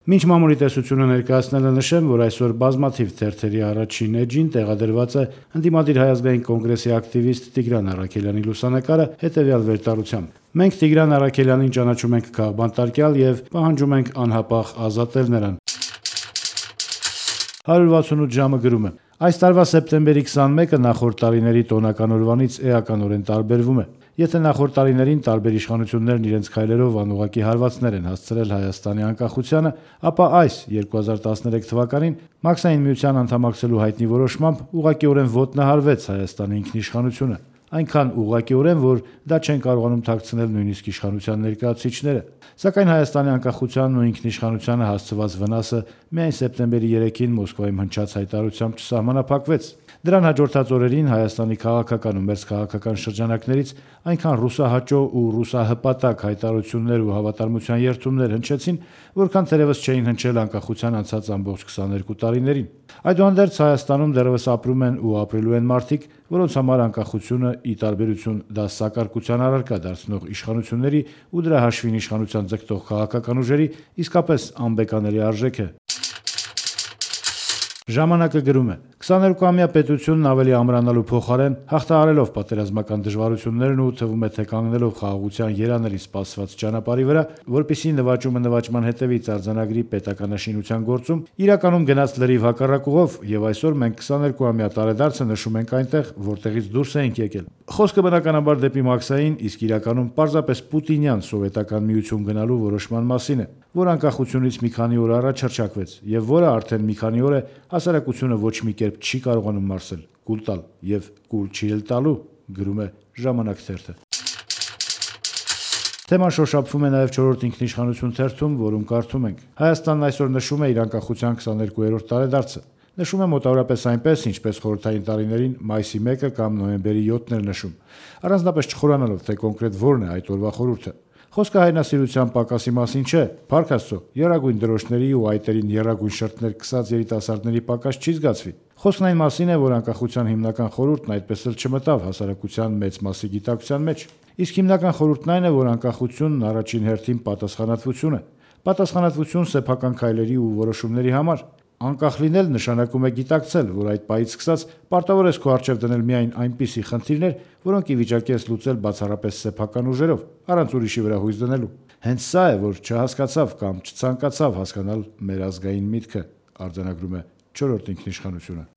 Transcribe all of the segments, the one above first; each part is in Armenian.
Մինչ մամուլի տեսությունը ներկայացնելը նշեմ, որ այսօր բազմաթիվ թերթերի առաջին էջին տեղադրված է ընդդիմադիր Հայ ազգային կոնգրեսի ակտիվիստ Տիգրան Առաքելյանի լուսանկարը հետևյալ վերտառությամբ. «Մենք Տիգրան Առաքելյանին ճանաչում ենք քաղբանտարկյալ եւ պահանջում ենք անհապաղ ազատել նրան»։ 168 ժամը գրում է. Այս տարվա սեպտեմբերի 21-ը նախորդ տարիների տոնական օրվանից էականորեն տարբերվում է։ Եթե նախորդ տարիներին տարբեր իշխանություններն իրենց քայլերով անուղղակի հարվածներ են հասցրել Հայաստանի անկախությանը, ապա այս 2013 թվականին Մաքսային միության անդամակցելու հայտնի որոշմամբ ուղղակիորեն ոտնահարվեց Հայաստանի ինքնիշխանությունը։ Այնքան ուղղակիորեն, որ դա չեն կարողանում թաքցնել նույնիսկ իշխանության ներկայացուցիչները։ Սակայն Հայաստանի անկախությանն ու ինքնիշխանությանը հասցված վնասը միայն սեպտեմբերի 3-ին Մոսկվայում հնչած հայտարարությամբ չսահմանափակվեց։ Դրան հաջորդած օրերին Հայաստանի քաղաքական ու մերձքաղաքական շրջանակներից այնքան ռուսահաճո ու ռուսահպատակ հայտարարություններ ու հավատարմության երդումներ հնչեցին, որքան թերևս չէին հնչել անկախության անցած ամբողջ 22 տարիներին։ Այդուհանդերձ Հայաստանում դեռևս ապրում են ու ապրելու են մարդիկ, որոնց համար անկախությունը, ի տարբերություն դասակարգության առարկա դարձնող իշխանությունների ու դրա հաշվին իշխանության ձգտող քաղաքական ուժերի, իսկապես անբեկանելի արժեք է։ Ժամանակը գրում է. 22-ամյա պետությունն ավելի ամրանալու փոխարեն հաղթահարելով պատերազմական դժվարություններն ու թվում է թե կանգնելով խաղաղության երանելի սպասված ճանապարհի վրա, որպեսզի նվաճումը նվաճման հետևից արձանագրի պետականաշինության գործում, իրականում գնաց լրիվ հակառակուղով, եւ այսօր մենք 22-ամյա տարեդարձը նշում ենք այնտեղ, որտեղից դուրս ենք եկել։ Խոսքը բնականաբար դեպի Մաքսային, իսկ իրականում պարզապես պուտինյան սովետական միություն գնալու որոշման մասին է, որ անկախությունից մի քանի օր առաջ հռչակվեց եւ որը արդեն մի քանի օր է հասարակությունը ոչ մի կերպ չի կարողանում մարսել, կուլ տալ եւ կուլ չի էլ տալու, գրում է Ժամանակ թերթը։ Թեման շոշափվում է նաև 4-րդ ինքնիշխանություն թերթում, որում կարդում ենք. Հայաստանն այսօր նշում է իր անկախության 22-րդ տարեդարձը։ Նշում է մոտավորապես այնպես, ինչպես խորհրդային տարիներին մայիսի 1-ը կամ նոյեմբերի 7-ն էր նշում, առանձնապես չխորանալով, թե կոնկրետ որն է այդ օրվա խորհուրդը։ Խոսքը հայրենասիրության պակասի մասին չէ, փառք Աստծո, եռագույն դրոշների ու այտերին եռագույն շրթներ քսած երիտասարդների պակաս չի զգացվի։ Խոսքն այն մասին է, որ անկախության հիմնական խորհուրդն այդպես էլ չմտավ հասարակության մեծ մասի գիտակցության մեջ։ Իսկ հիմնական խորհուրդն այն է, որ անկախությունն առաջին հերթին պատասխանատվություն է։ Պատասխանատվություն սեփական քայլերի ու որոշումների համար։ Անկախ լինել նշանակում է գիտակցել, որ այդ պահից սկսած պարտավոր ես քո առջև դնել միայն այնպիսի խնդիրներ, որոնք ի վիճակի ես լուծել բացառապես սեփական ուժերով, առանց ուրիշի վրա հույս դնելու։ Հենց սա է, որ չհասկացավ կամ չցանկացավ հասկանալ մեր ազգային միտքը, արձանագրում է 4-րդ ինքնիշխանությունը։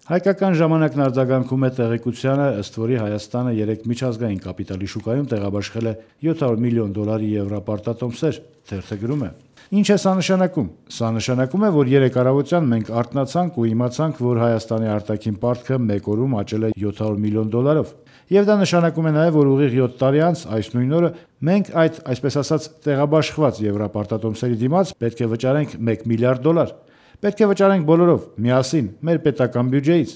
Հայկական ժամանակն արձագանքում է տեղեկությանը, ըստ որի Հայաստանը 3 միջազգային կապիտալի շուկայում տեղաբաշխել է $700 միլիոն եվրոպարտատոմսեր, թերթը գրում է. Ինչ է սա նշանակում։ Սա նշանակում է, որ 3 առավոտյան մենք արթնացանք ու իմացանք, որ Հայաստանի արտաքին պարտքը մեկ օրում աճել է $700 միլիոն։ Եվ դա նշանակում է նաև, որ ուղիղ 7 տարի անց այս նույն օրը մենք այդ, այսպես ասած, տեղաբաշխված եվրոպարտատոմսերի դիմաց պետք է վճարենք $1 միլիարդ։ Պետք է վճարենք բոլորով, միասին, մեր պետական բյուջեից։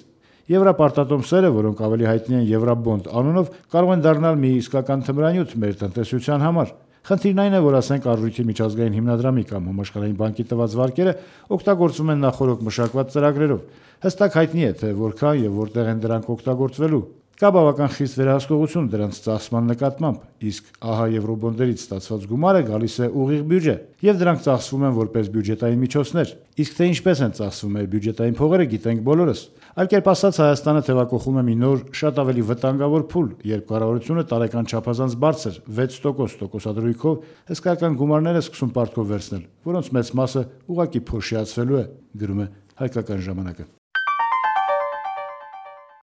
Եվրոպարտատոմսերը, որոնք ավելի հայտնի են Եվրոբոնդ անունով, կարող են դառնալ մի իսկական թմրանյութ մեր տնտեսության համար։ Խնդիրն այն է, որ ասենք Արժույթի միջազգային հիմնադրամի կամ Համաշխարհային բանկի տված վարկերը օգտագործվում են նախորոք մշակված ծրագրերով։ Հստակ հայտնի է, թե որքան եւ որտեղ են դրանք օգտագործվելու։ Կա բավական խիստ վերահսկողություն դրանց ծախսման նկատմամբ, իսկ ահա եվրոբոնդերից ստացված գումարը գալիս է ուղիղ բյուջե, եւ դրանք ծախսվում են որպես բյուջետային միջոցներ։ Իսկ թե ինչպես են ծախսվում մեր բյուջետային փողերը, գիտենք բոլորս։ Այլ կերպ ասած, Հայաստանը թևակողում է մի նոր, շատ ավելի վտանգավոր փուլ, երբ կառավարությունը տարեկան չափազանց բարձր 6% տոկոսադրույքով հսկայական գումարներ է սկսում պարտքով վերցնել, որոնց մեծ մասը ուղղակի փոշիացվելու է, գրում է Հայկական ժամանակը։